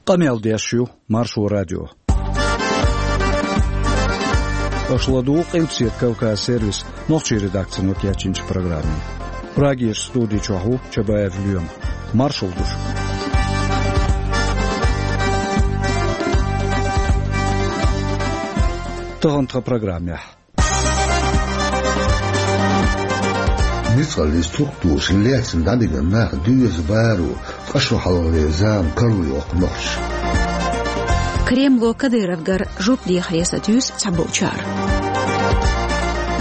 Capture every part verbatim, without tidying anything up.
Къамел деш ю Маршо радио. Аша ладугӀу Къилбаседа Кавказ сервисан нохчийн редакцино кечйинчу программе. Прагерчу студи чохь ву Чабаев Лоьма. Маршалла ду шуьга. Тахана тхан программехь. Ницкъаллин структураша лаьцна дӀабигна нах доьза баро, ткъа шо хьалхалера зама карладоьху нохчаша. Кремло Кадыровгара жоп дехаре сатуьйсу цхьаболчара.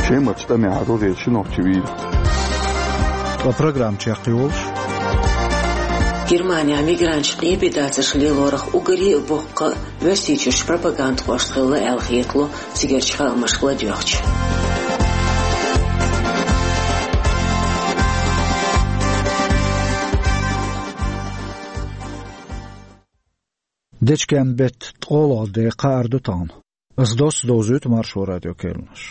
Шемарчу тӀамехь рогӀера ши нохчи вийра. Ткъа программа чекхйолуш. Германехь мигранташ къепедацарш лелорах уггаре а боккха Оьрсийчуьрчу пропагандхошна хилла аьлла хетало цигарчу хаамашка ладоьгӀча. Дечкен-беттан ткъолгӀа де кхаар ду тахана. Ас доцца довзуьйту Маршо радион керланаш.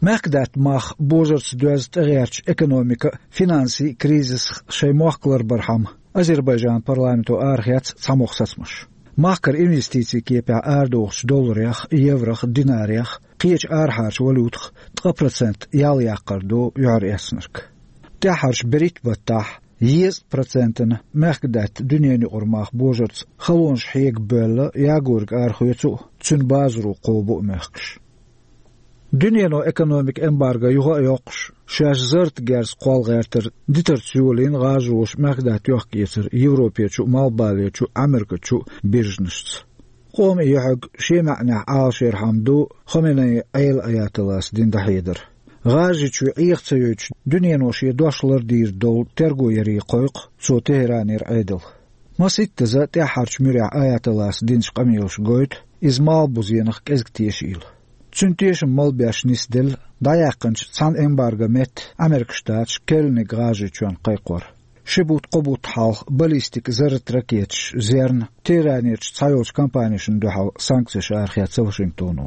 Мехкдаьтта мах божарца доьзна тӀегӀертачу экономикан а, финансийн а кризисах шайн мохк ларбархьама, Азербайджанан парламенто арахецна цхьамогӀа сацамаш. Махкара инвестицийн кепехь арадохучу долларех, еврох, динарех, кхечу арахьарчу валютах ткъа процент ял яккхар ду юьхьар эцнарг. ТӀаьххьарчу берхӀитта баттахь езткъа процентана мехкдаьтта дуьненан юкъара мах божарца халонаш хьега бевлла, ягориг арахоьцу а, цуьнан базаро кхобу а мехкаш. Дуьнено экономикан эмбарго юха а йоккхуш, шаьш зарратан герз кхолла гӀертар дитарца йолийна гӀажароша мехкдаьтта йохк-эцар Европерчу а, Малхбалерчу а, Ӏамеркачу а биржанашца. Къоман юьхьиг шен маьӀнехь Ӏалашъярхьама ду Хоменеин Ӏела аятоллас дина дӀахьедар. ГӀажарийчоь Ӏеха ца йойтуш, дуьнено шен дош лардийр долу терго яре кхойкху цо Техеранера Ӏедал. Масийттаза тӀаьххьарчу муьрехь аятоллас динчу къамелаша гойту, иза малхбузенах кӀезиг тешийла. Цуьнан тешам малабеш нисделла дӀаяьккхинчу цхьана эмбаргон метта Ӏамеркан Штаташ керланиг ГӀажарийчоьнна кхайкхор. Ши бутт-кхо бутт хьалха баллистикан зарратан ракеташ зерна Техеранерчу цхьайолчу компанешна дуьхьал санкцеш арахецна Вашингтоно.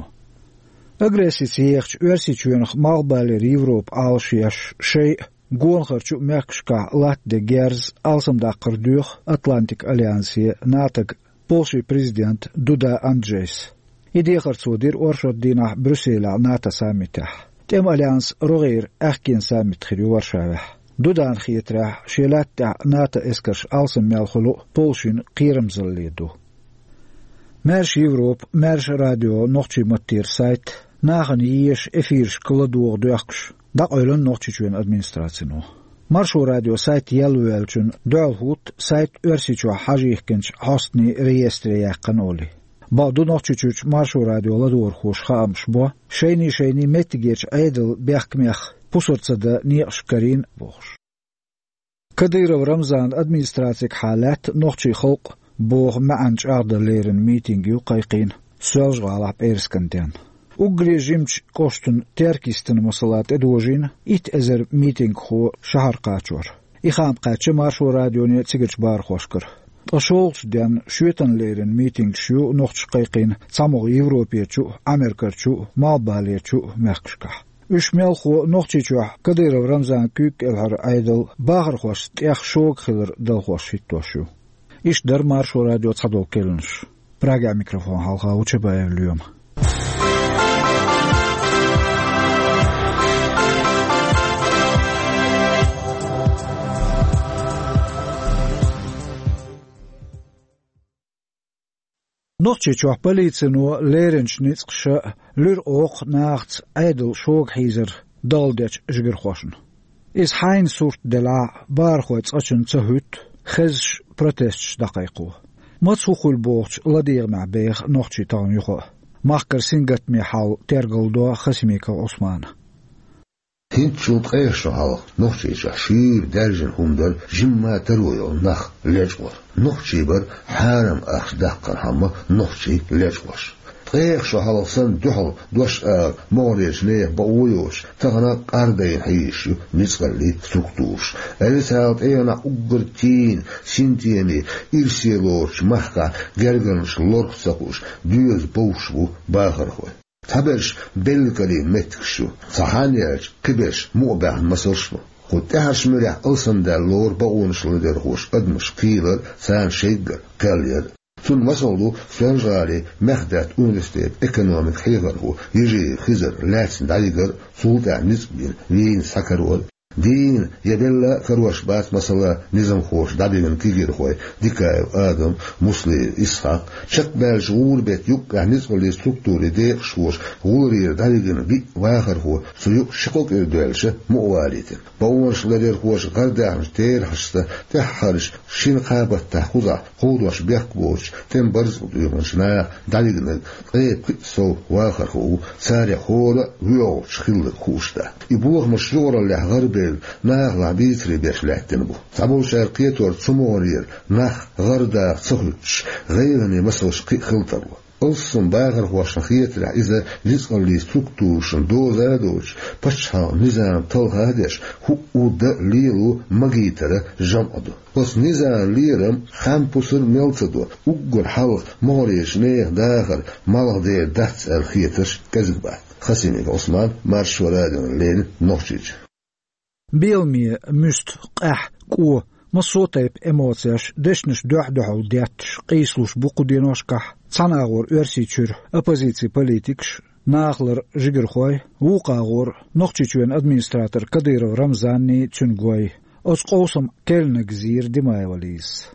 Агрессица ехачу Оьрсийчоьнах Малхбалера Европа Ӏалашъеш, шайн а, гонахарчу а мехкашкахь латтаде герз алсамдаккхар доьху Атлантикан альянсе, НАТОга Польшин президента Дуда Анджейс. И дехар цо дира оршот дийнахь Брюсселехь НАТО саммитехь. ТӀеман альянсан рогӀера аьхкенан саммит хир ю Варшавехь. Дудана хетарехь, шен лаьтта тӀехь НАТО эскарш алсам мел хуьлу а Польшина кхерамзалле ду. Маьрша Европа, Маьрша радион нохчийн маттера сайт нахана еша эфирашка ладогӀа доьхкуш дӀакъевлина Нохчийчоьнан администрацино. Маршо радион сайт елла ваьллачунна дуьхьал хӀутту сайт Оьрсийчохь хьажа йихкинчу хьостанийн реестре яьккхина олий. Бакъду, Нохчийчуьрчу Маршо радион ладогӀархоша хаамаш бо, шайний-шайний меттигерчу Ӏедалан бехкамех пусар ца дан некъаш карийна бохуш. Кадыров Рамзанан администрацигахьа лаьтта нохчийн халкъ боху маьӀна чӀагӀдан лерина митинг ю кхайкхийна Соьлжа-ГӀалахь пӀераскан денна. Уггаре жимачу кӀоштан Теркйистан, масала, тӀедожийна итт эзар митингхо шахьар кхачор. И хаам кхаьчна Маршо радионе а, цигарчу бахархошкара. Ткъа шолгӀачу денна шоьтан лерина митингаш ю нохчаша кхайкхийна цхьамогӀа Европерчу а, Ӏамеркарчу а, Малхбалерчу а мехкашкахь. Уьш мелхо Нохчийчохь Кадыров Рамзанан куьйга кӀелхьара Ӏедал бахархошца тӀех шога хилар далхош хӀиттош ю. Иштта дара Маршо радион цхьадолу керланаш. Прагехь микрофон хьалха ву Чабаев Лоьма. Нохчийчохь полицино леринчу ницкъаша луьра оха нахаца Ӏедалан шога хьийзар далла дечу жигархошна. Иза хьайна сурт делахь а, бахархой цкъачунна ца хӀуьтту, хезаш протесташ дӀакхайкхо. Маца хӀун хуьлу бохучу ладегӀамехь беха нохчий тахана юха а. Махкара сингаттаме хьал тергалдо Хасимиков Ӏусмана. ХӀинцачул ткъех шо хьалха Нохчийчохь шуьйра даьржина хӀума дара жимма таро йолу нах лечкъор. Нохчий бара хьарам ахча даккхархьама нохчий лечкъош. Ткъех шо хьалха санна дуьхьал дош ала могӀарерчу нехан бакъо йоцуш, тахана къардайна хьийзаш ю ницкъаллин структураш. Официалан тӀегӀанехь уггар тийна, синтеме, ирсе лоручу махкахь гергарнаш лорах ца хууш, доьза бовш бу бахархой. Цхьаберш белла карийна меттигаш ю, цхьа хьанна яьлча, кхиберш мукъабаьхна масалш бу. Кху тӀаьхьарчу муьрехь алсамдаьлла лору бакъонаш ларъярхоша адамашка кхийлар, царна шайггара кхел яр. Цунна масал ду Соьлжа-ГӀалин Мехдац университетан экономикан хьехархо Ежиев Хизар лаьцна дӀавигар, цул тӀаьхьа ницкъ бина Вене схьакарор. Дийна я белла а карош бац, масала, низамхоша дӀабигна кегийрхой Дикаев Адам, Муслиев Исхьакъ. Чекхбаьллачу гӀуран-беттан юккъехь ницкъаллин структурийн декъашхоша гӀуллера дӀавигна биъ вахархо цу юкъа ши-кхо кӀира доьллуш мукъавалийтина. Бакъонаш ларъярхоша гӀардаьхначу терахьашца тӀаьххьарчу шина-кхаа баттахь кхузахь кховдош бехк боцучу тӀеман барзакъ доьхначу наха дӀавигнарг ткъе пхи сов вахархо ву, царех хӀора а воьалгӀачу хилларг хууш дац. И бохамаш юкъараллехь гӀарабевлла, нахалахь бийцаре беш лаьттина бу. Цхьаболчара кхетор цу могӀарера нах гӀарадаха ца хуьттуш, гӀайгӀане масалш кхин а хила тарло. Алссам бахархошна хетарехь, иза ницкъаллин структурашна доза а доцуш, пачхьалкхан низам талха а деш, хӀуъу дан а лело магийтаран жамӀ ду. Оцу низаман лерам хан-пусар мел ца до, уггар хьалха могӀарерчу нехан дахар малхбузера дац аьлла хетарш кӀезиг бац. Хасимиков Ӏусман, Маршо радиона леррина, Нохчийчоь. Беламе, муьста, къаьхьа, кӀо, массо а тайпа эмоцеш, дешнаш дуьхь-дуьхьал детташ, къийсалуш бу кху деношкахь цхьана агӀор Оьрсийчуьра оппозицин политикаш, нахалара жигархой, вукху агӀор Нохчийчоьнан администратор Кадыров Рамзанний, цуьнан гой. Оцу къовсамна керланиг зийра Димаева Лизас.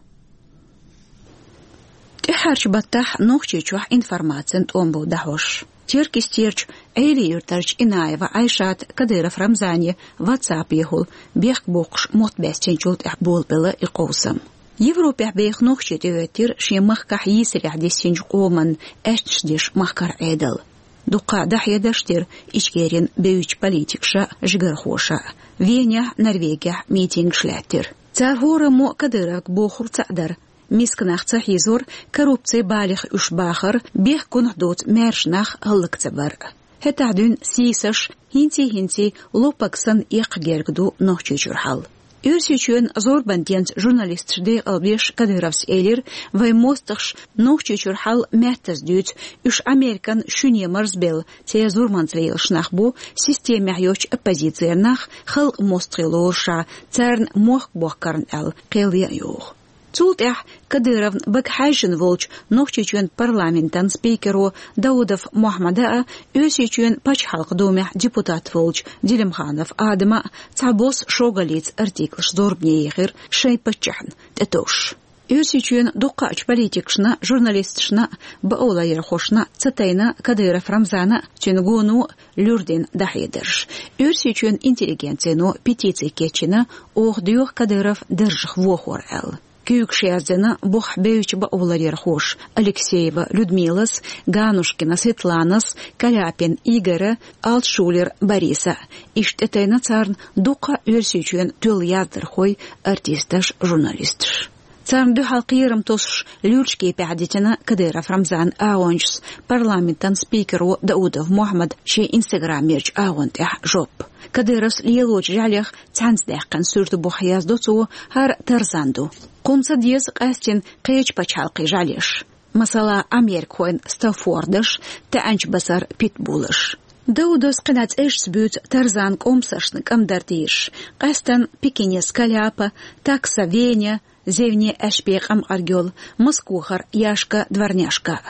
ТӀаьххьарчу баттахь Нохчийчохь информацин тӀом бу дӀахьош. Теркйистерчу Ӏели-Юьртарчу Инаева Ӏайшата Кадыров Рамзане ватсапехула бехк боккхуш мотт баьстинчул тӀаьхьа болабелла и къовсам. Европехь беха нохчий тӀехӀоьттира шен махкахь йийсарехь диссинчу къоман аьшнаш деш махкара Ӏедал. Дуккха а дӀахьедарш дира Ичкерин бевзачу политикаша а, жигархоша а. Венехь, Норвегехь митингаш лаьттира. Цара хӀораммо Кадыровга бохург цхьаъ дара: миска нах ца хьийзор, коррупцин балех уьш бахар, бехкунах доцу маьрша нах хӀаллак ца бар. ХӀетахь дуьйна сийсаш, хӀинций-хӀинций лопаг санна эккха герга ду Нохчийчуьра хьал. Оьрсийчоьнан зорбан денца журналисташ декъалбеш Кадыровс элира: «Вайн мостагӀаша Нохчийчуьра хьал маьттаза дуьйцу, уьш Американ шуьне марзбелла, церан зурманца лелаш нах бу, системехь йоцчу оппозицера нах, халкъан мостагӀий лоруш, царна мохк бохкарна аьлла, кхел ян йогӀу». Цул тӀаьхьа Кадыровна бага хьаьжжина волчу Нохчийчоьнан парламентан спикеро Даудов Мохьмада а, Оьрсийчоьнан Пачхьалкхан Думехь депутат волчу Делимханов Адама а цхьабосса шогаллица артиклаш зорбане ехира шайн паччахьна тӀетовжуш. Оьрсийчоьнан дуккхачу политикашна, журналисташна, бакъоларъярхошна ца тайна Кадыров Рамзана а, цуьнан гоно а луьра дина дӀахьедарш. Оьрсийчоьнан интеллигенцино петици кечйина, оха доьху Кадыров даржах вохор аьлла. Куьйгаш яздина бухахь бевзачу бакъоларъярхоша Алексеева Людмилас, Ганушкина Светланас, Каляпин Игора, Алтшулер Бориса. Иштта тӀетайна царна дуккха а Оьрсийчоьнан тоьлла яздархой, артисташ, журналисташ. Царна дуьхьал кхерам тосуш, луьрачу кепехь дитина Кадыров Рамзанан агӀончаш парламентан спикеро Даудов Мохьмада шен инстаграмерчу агӀон тӀехь жоп. Кадыровс лелочу жӀаьлех цхьаьнца даьккхина суьртан бухахь яздо цо: «ХӀара Тарзан ду. Кхунна ца деза къаьстина кхечу пачхьалкхийн жӀаьлеш, масала, америкахойн стаффордаш, таьӀанчу басар питбулаш». Даудовс кхидӀа цӀерашца буьйцу Тарзанан кӀомсаршна кӀамдар дийраш, къаьсттина Пекинера Каляпа, Такса Веня, Зевне Аьшпе къамкъарг йолу, Москохара Яшка Дворняшка.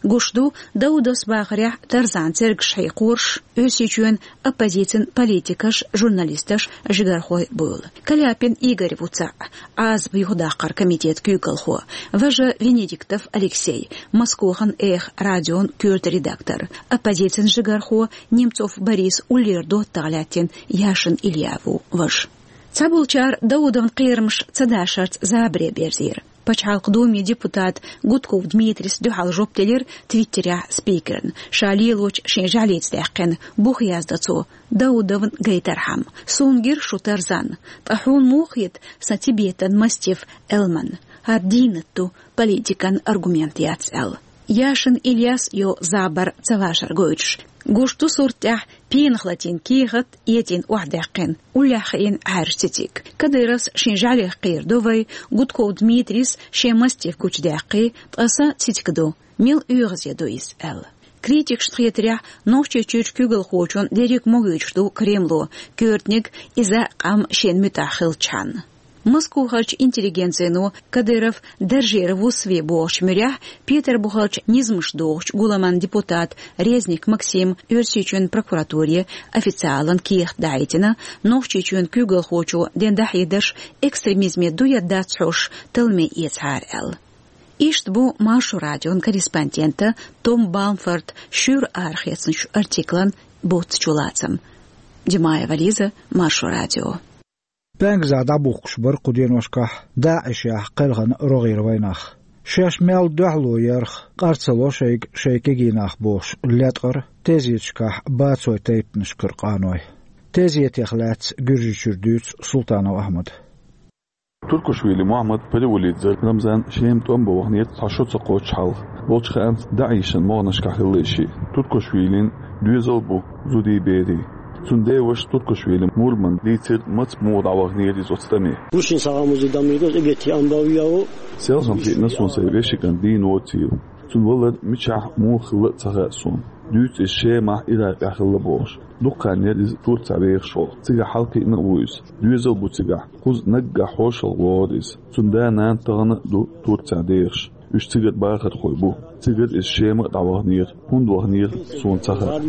Гуш ду, Даудовс бахарехь, Тарзанан цергаш хьекхорш Оьрсийчоьнан оппозицин политикаш, журналисташ, жигархой буйла. Каляпин Игорь ву цхьаъ, Ӏазап юхадаккхаран комитетан куьйгалхо, важа Венедиктов Алексей, Москохан «Эхо» радион коьрта редактор, оппозицин жигархо Немцов Борис уллера доттагӀа лаьттина Яшин Илья ву важа. Цхьаболчара Даудовн кхерамаш ца дашарца забаре берзийра. Пачхьалкхан Думин депутата Гудков Дмитрис дуьхьал жоп делира Твиттерехь спикерна, ша лелочу шен жӀаьлица даьккхина бухахь яздо цо: «Даудовна гайтархьама, суна гира шу Тарзан, ткъа хьуна муха хета сан Тибетан мастиф Элман? ХӀара дийнат ду, политикан аргумент яц», — аьлла. Яшин Ильяс йо забар ца вашар гойтуш, гуш ду сурт тӀехь пенах латийна кехат, этӀийна охьадаьккхина, уллехь хиъна Ӏаьржа цициг. Кадыровс шен жӀаьлех кхийр ду вай, Гудков Дмитрис шен мастиф гучудаьккхи, ткъа сан цициг ду, мел оьгӀазе ду иза, аьлла. Критикашна хетарехь, Нохчийчуьрчу куьйгалхочун дерриг могуьйтуш ду Кремло, коьртаниг иза къам шена муьтӀахь хилчхьана. Москохарчу интеллигенцино Кадыров даржера вуссаве бохучу муьрехь Петарбухарчу низамаш дохучу гуламан депутат Резник Максим Оьрсийчоьнан прокуратуре официалан кехат дахьийтина, Нохчийчоьнан куьйгалхочо дина дӀахьедарш экстремизме ду я дац хьожуш талламе эцахьара аьлла. Иштта бу Маршо радион корреспондента Том Бамфорта шуьйра арахецначу артиклан буц чулацам. Димаева Лиза, Маршо радио. ПӀаьнгазахь дӀабухкуш бара кху деношкахь ДАИШехь кхелхина рогӀера вайнах. Шаьш мел дуьхьало ярх къар ца ло шайга шайн кегий нах бохуш леткъара тезеташкахь бацойн тайпанашкара къаной. Тезетех лаьцна Гуьржийчуьра дуьйцу Султанов Ахьмада. Туркушвили Мухьаммад, Париулидзе Рамзан Шема тӀом бан ваханера цхьа шо ца кхоччу хьалха. Болчу хаамца, ДАИШан могӀанашкахь хилла и шиъ. Туркушвилин доьзал бу зудий, берий. Цуьнан деваша Туркушвили Мурмана дийцира, маца муха дӀаваханера иза оцу тӀаме. Гусин сагӀа музей дамиго, эгети амбавияо. Селхана хиъна суна сайн вешин кӀант дийна воцийла. Цуьнан валар мичахь, муха хилла а ца хаьа суна. Дуьйцу иза Шемахь, Иракъехь хилла бохуш. Дукха хан яра иза Турцехь вехаш волу. Цигахь хьалакхиъна а ву иза. Доьзал бу цигахь. Кхуза наггахь хьошалгӀа вогӀура иза. Цуьнан да-нана тахана а ду Турцехь дехаш. Уьш цигара бахархой бу. Цигара иза Шема а дӀаваханера. ХӀунда ваханера, суна ца хаьа.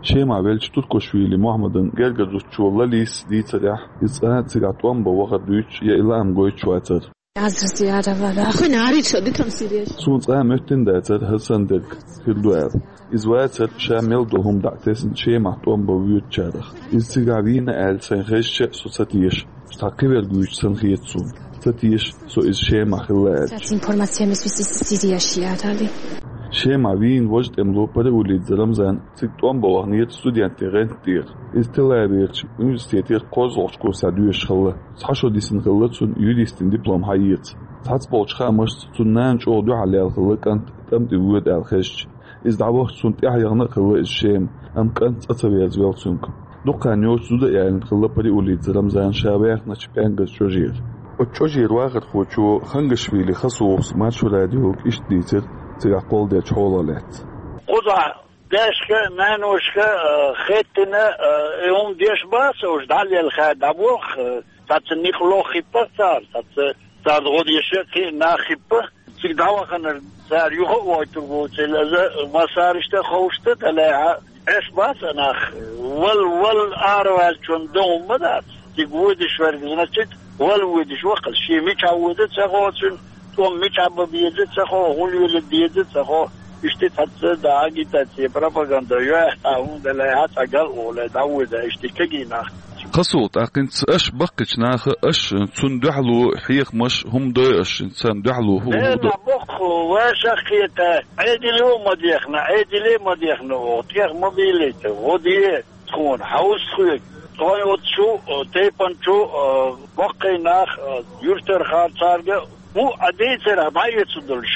Шемахь веллачу Туркушвили Мухьаммадан гергара зудчо Лалис дийцарехь, иза цкъа а цигахь тӀом бан вахар дуьйцуш я и лаам гойтуш вацара. Суна цкъа а моьттина дацара хӀара санна дерг хир ду аьлла. Иза вацара ша мел долу хӀума дӀа а тесна Шемахь тӀом бан воьдучарах. Иза цигахь вийна аьлла, сайна хезча а, со ца теша. Цхьа кхин верг вуьйцуш санна хета суна. Ца теша со иза Шемахь хилла аьлча. Шемахь вийна важа тӀемало Париулидзе Рамзан цига тӀом бан ваханера студентийн гӀанта тӀера. Иза Тель-Авиверчу университетера кхозлагӀчу курсехь доьшуш хилла. Цхьа шо дисина хилла цунна юристийн диплом схьаэца. Цхьацца болчу хаамашца, цуьнан нана чӀогӀа дуьхьал яьлла хилла кӀант тӀом тӀе воьду аьлла хезча. Иза дӀавахча цунна тӀаьхьа яхана а хилла иза Шема, амма кӀант цӀа ца верзавелла цуьнга. Дукха хан йоцуш зуда а яьллина хилла Париулидзе Рамзана ша ваьхначу пӀаьнгаза чӀожера. Оцу чӀожера вахархочо Хангашвили Хасухас Маршо радиога иштта дийцира цигахь кхолладеллачу хьолах лаьцна. Кхузахь дайшка, наношка, а, хеттина, а, и хӀума деш бац уьш, дӀалелла хаа дӀабоху, а, цхьацца некъ лоххиппа цара, цхьацца царна гӀо деш а кхин а нах хиппа. Цига дӀаваханарг цара юха а войтур ву, цул иза массарашта а ховшта а далехьа, Ӏеш бац а нах. Вал, вал араваьллачунна дан хӀума ма дац. Цига воьдуш верг, значит, вал воьдуш ваккхал. Шен мичахь воьду ца хо цуьнан, тӀом мичахь бан беза ца хо, хӀун леладе деза ца хо. Иштта цхьацца да агитация, пропаганда йоьхьа, хӀунда лаьа цхьа гал оле, дӀавоьда, иштта кегий нах. Кхасул тӀаккхинца аша баккхичу наха, аша цунна дуьхьало хьехамаш хӀума дой аша, царна дуьхьало хӀу-, хӀу-, Дела боккху, ваша кхета, Ӏедило а ма дехна, Ӏедиле а ма дехна оха, тӀех ма бийлийта, гӀо де тхуна, хьовса тхоьга. Тхойн оцу шу, тайпан чу, баккхий нах, юьртара хар царга, хӀу а дийцарах дӀаэцу долуш,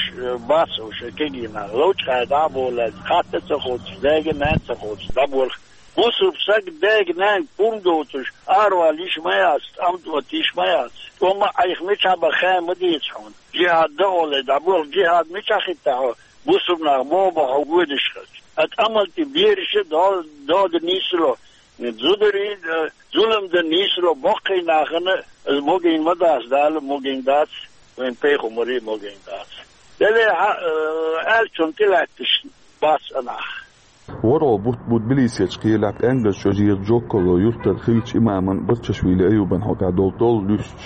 бац уьш, кегий нах, ловчу хьайда а болаьлла, хатта а ца хоцуш, дайга а, нанна а ца хоцуш, дӀаболх. Бусург саг дайга-нанга пурба доцуш, аравала йиш ма яц, тӀам тӀоттийш ма яц. ТӀом а Ӏайха мичахь бан хаа ма дийца хьуна. Жихьад дан оле дӀаболх, жихьад мичахь хиттахь хьо, бусург нах боху бан хьо воьдуш хилча. Ткъа тӀамал тӀе бераш а до-, дода нийсало, зударий а, зулам дан нийсало боккхий нахана, иза могийна ма дац, Дала могийна дац, вайн пайхамаре а могийна дац. Деле хьа, а, аьллачунна тӀелаьтташ бац а нах. ВорхӀалгӀа бутт бу Тбилисерчу кхелехь пӀаьнгаза чӀожера Джоккало юьртара хиллачу имаман Барчашвили Аюбан хьокъехь долу толла луьстуш.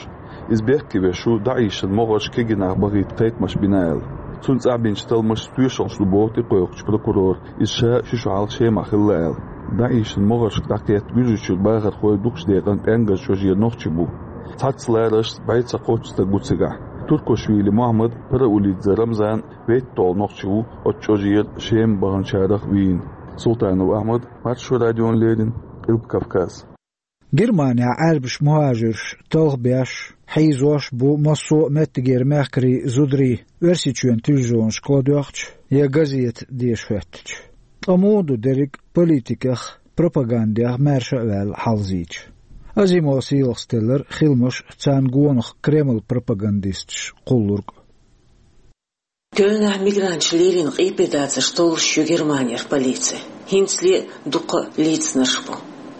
Иза бехке веш ву ДАИШан могӀарш кегий нах бахийта кхайкхамаш бина аьлла. Цунна цӀахь бинчу талламаша тоьшаллаш ду боху тӀекхойкхучу прокурора, иза ша ши шо хьалха Шемахь хилла аьлла. ДАИШан могӀаршка дӀакхетта Гуьржийчуьра бахархой дукхачу декъана пӀаьнгаза чӀожера нохчий бу. Цхьацца лараршца бӀе цхьа кхоччуш стаг ву цигахь. Туркушвили Мухьаммад, Параулидзе Рамзан, ветталгӀа нохчи ву оцу чӀожера Шема баханчарах вийна. Султанов Ахьмад, Маршо радиона леррина, Къилба Кавказ. Германехь Ӏаьрбаш мухӀажирш талхабеш, хьийзош бу массо а меттигера мехкарий, зударий, Оьрсийчоьнан телевизионашка ладоьгӀча я газета деша хӀоьттича. Ткъа муха ду дерриг а политиках, пропагандех маьрша а ваьлла хьалзийча? Азимова Сийлахас теллира хиламаш, царна гонах Кремлан пропагандисташ кхуллург а. Кёльнахь мигранташ лелийна къепе дацарш толлуш ю Германера полици. ХӀинцале а дуккха а лецнарш бу.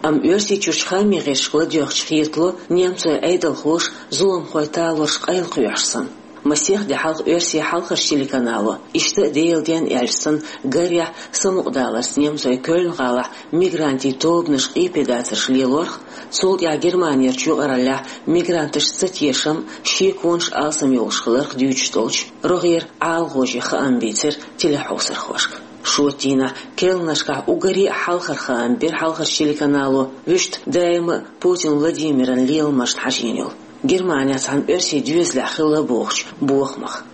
Амма Оьрсийчуьрчу хаамийн гӀирсашка ладоьгӀча хетало, немцойн Ӏедалхоша зуламхойн талорш къайлакхоьхьуш санна. Масех де хьалха оьрсийн хьалхарчу телеканало, иштта а Делан денна аьлча санна, гарехь, самукъадаларца немцойн Кёльн-гӀалахь мигрантийн тобанаш къепедацарш лелорх, цул тӀаьхьа Германерчу юкъараллехь мигранташца цатешам, шеконаш алсам йолуш хиларх дуьйцуш долчу рогӀера ӀаламгӀожа хаам бийцира телехьовсархошка. Шоттийнахь Кёльнашкахь уггаре а хьалхара хаам бира хьалхарчу телеканало, вуьшта даима а Путин Владимиран леламашна хьажийна йолу, Германехь цхьана оьрсийн доьзалехь хилла бохучу бохамах.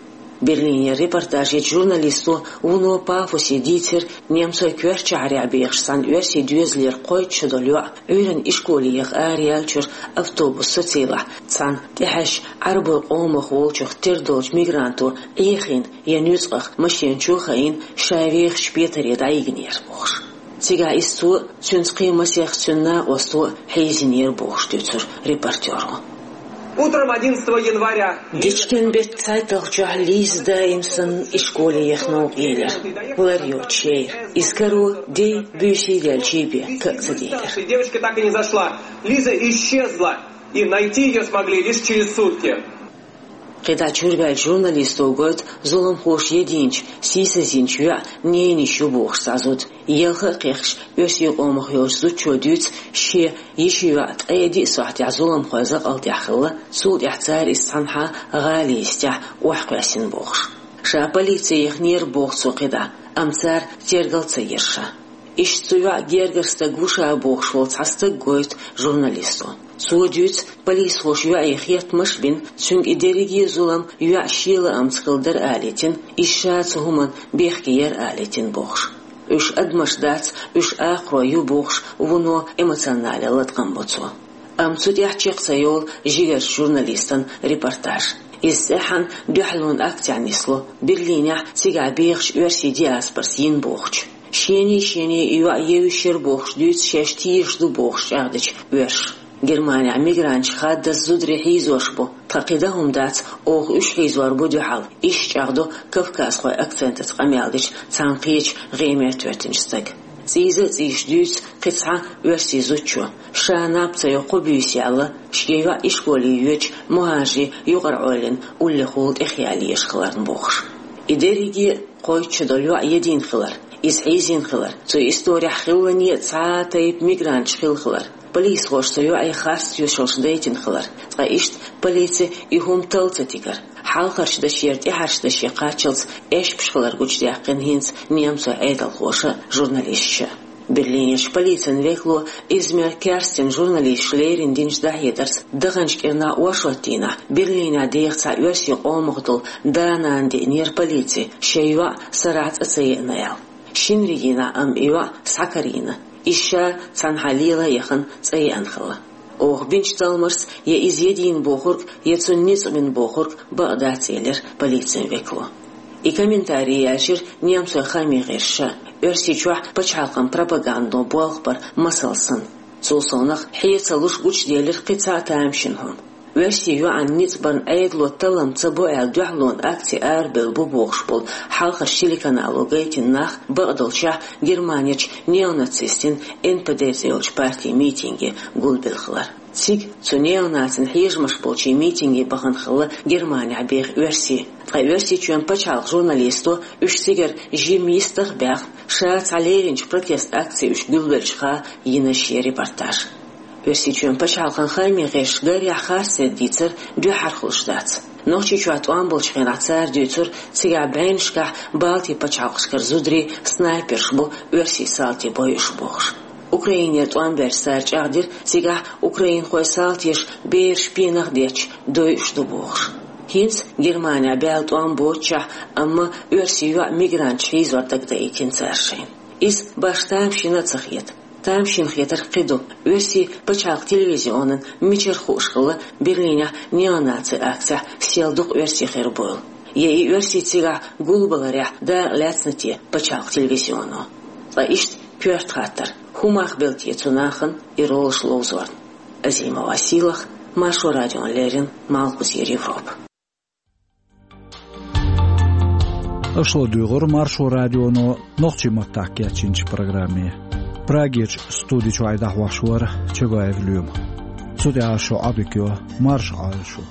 Берлинера репортаж йечу журналисто вуно пафосе дийцира немцойн коьртачу шахьарехь бехаш цхьана оьрсийн доьзалера кхойтта шо долу йоӀ Ӏуьйранна ишколе яха араяьллачуьра автобус социйлахь цхьана тӀехьаьжча Ӏарбойн къомах волчух тера долчу мигранто Ӏехийна я нуьцкъах машенчо а хаийна, ша вехачу петаре дӀайигнера бохуш. Цигахь иза цо а, цуьнца кхин масех цуьнан накъосто а хьийзийнера бохуш дуьйцура репортеро. Утром одиннадцатого января Дечкен беттан цхьайтталгӀачохь Лиза даим санна ишколе яха новкъа елира, лар йоцуш яра. Иза каро де, буьйса а даьлла, чийбе ка а ца дийцира. И девочка так и не зашла. Лиза исчезла, и найти её смогли лишь через сутки. КхидӀа чуьрбаьллачу журналисто гойту зуламхоша единчу, сийсазйинчу йоьӀан ненайиша ю бохуш цхьа зуда. Елха а кхехкаш, оьрсийн къомах йолчу зудчо дуьйцу, шен йишин йоӀ ткъе диъ сохьтехь зуламхойн закъалтехь хилла, цул тӀаьхьа цара иза цхьанхьа гӀала йистехь охьакхоьссина бохуш. Ша полице яхнера боху цо кхидӀа, амма цара тергал ца йира ша. Иштта цу йоӀан гергара стаг ву ша бохуш волу цхьа стаг гойту журналисто. Цо дуьйцу, полисхоша йоӀе хеттамаш а бина, цуьнга и дерриге а зулам йоьӀан шен лаамца хилла дара алийтина, иза ша цу хӀуманна бехке яра алийтина бохуш. Уьш адамаш дац, уьш акхарой ю бохуш, вуно эмоционале латкъам бо цо. Амма цу тӀехь чекх ца йолу жигарчу журналистан репортаж. Иза цӀеххьана дуьхьалонан акцехь нисло, Берлинехь цигахь бехачу оьрсийн диаспорас йина бохучу. Шений-шений и йоӀ евзаш яра бохуш дуьйцу шаьш тешаш ду бохуш чӀагӀдечу оьрсаша. Германехь мигранташка хаддаза зударий хьийзош бу, тхан кхин дан хӀума дац, оха уьш хьийзор бу дуьхьал, иштта чӀагӀдо кавказхойн акцентаца къамел дечу цхьана кхечу гӀеметтахӀоьттинчу стага. ЦӀийза а цӀийзаш дуьйцу кхин цхьа оьрсийн зудчо, ша наб ца йо кхо буьйса яьлла, шен йоӀ ишколе йоьдучу Мухьажин юкъара Ӏойлина уллехула тӀехъяла езаш хиларна бохуш. И дерриге а кхойтта шо долу йоӀ едина хилар, иза хьийзийна хилар, цу исторехь хиллане а цхьа а тайпа мигранташ хилла хилар, полисхоша цу йоӀе харц тоьшаллаш дайтина хилар, ткъа иштта полици и хӀума талла ца тигар, хьалхарчу дашера тӀаьхьарчу даше кхаччалц эшпаш хилар гучудаьккхина хӀинца немцойн Ӏедалхоша а, журналисташа а. Берлинерчу полицин векало Измер Керстина журналисташа леррина динчу дӀахьедарца, даханчу кӀирнахь оршот дийнахь Берлинехь деха цхьа оьрсийн къомах долу да-нана деънера полице шайн йоӀ сарахь цӀа ца еана аьлла. Шинарин дийнахь амма и йоӀ схьакарийна, иза ша цхьанхьа лела а яхана цӀа еана хилла. Оха бинчу талламашца я иза едина бохург, я цунна ницкъ бина бохург бакъ дац, элира полицин векало. И комментарий яьлчира немцойн хаамийн гӀирсаша, Оьрсийчохь пачхьалкхан пропагандо болх бар масал санна. Цул совнаха хье ца луш гучуделира кхин цхьа а тамашийна хӀума. Оьрсийн йоӀанна ницкъ барна Ӏедало таллам ца бо аьлла дуьхьалонан акци арабевлла бу бохуш болу хьалхарчу телеканало гайтина нах бакъдолчехь Германерчу неонацистийн Н П Д цӀе йолчу партин митинге гулбелла хилар. Цига цу неонацийн хьежамаш болчийн митинге бахана хилла Германехь беха оьрсий. Ткъа Оьрсийчоьнан пачхьалкхан журналисто уьш цигара жимма йистах а баьхна, ша цхьа леринчу протест акци уьш гулбеллачуха йина шен репортаж. Оьрсийчоьнан пачхьалкхан хаамийн гӀирсаша гарехь харцдерг дийцар дуьххьара хуьлуш дац. Нохчийчохь тӀом болчу хенахь цара дуьйцура, цигахь бӀеннашкахь Балтийн пачхьалкхашкара зударий снайперш бу оьрсийн салтий бойуш бохуш. Украинера тӀом баьлча цара чӀагӀдира, цигахь украинхойн салтеша бераш пенах а детташ дойуш ду бохуш. ХӀинца Германехь баьлла тӀом боццушехь, амма оьрсийн йоӀ мигранташ хьийзор дагадоуьйтина цара шайна. Иза башха тамашийна а ца хета. Тамашийна хетарг кхин ду: оьрсийн пачхьалкхан телевизионан мичара хууш хилла Берлинехь неонацийн акцехь сел дукха оьрсий хир буйла? Я и оьрсий цигахь гулбаларехь дакъа лаьцна те пачхьалкхан телевизионо? Ткъа иштта коьрта хаттар: хӀун мах белла те цу нахана и ролаш ловзорна? Азимова Сийлаха, Маршо радиона леррина, Малхбузера Европа. Аша ладуьйгӀура Маршо радионо нохчийн маттахь кечйинчу программе. Прагерчу студи чуьра дӀахьош вара Чабаев Лоьма. Цу тӀехь шун Ӏодика йо, марша Ӏойла шу.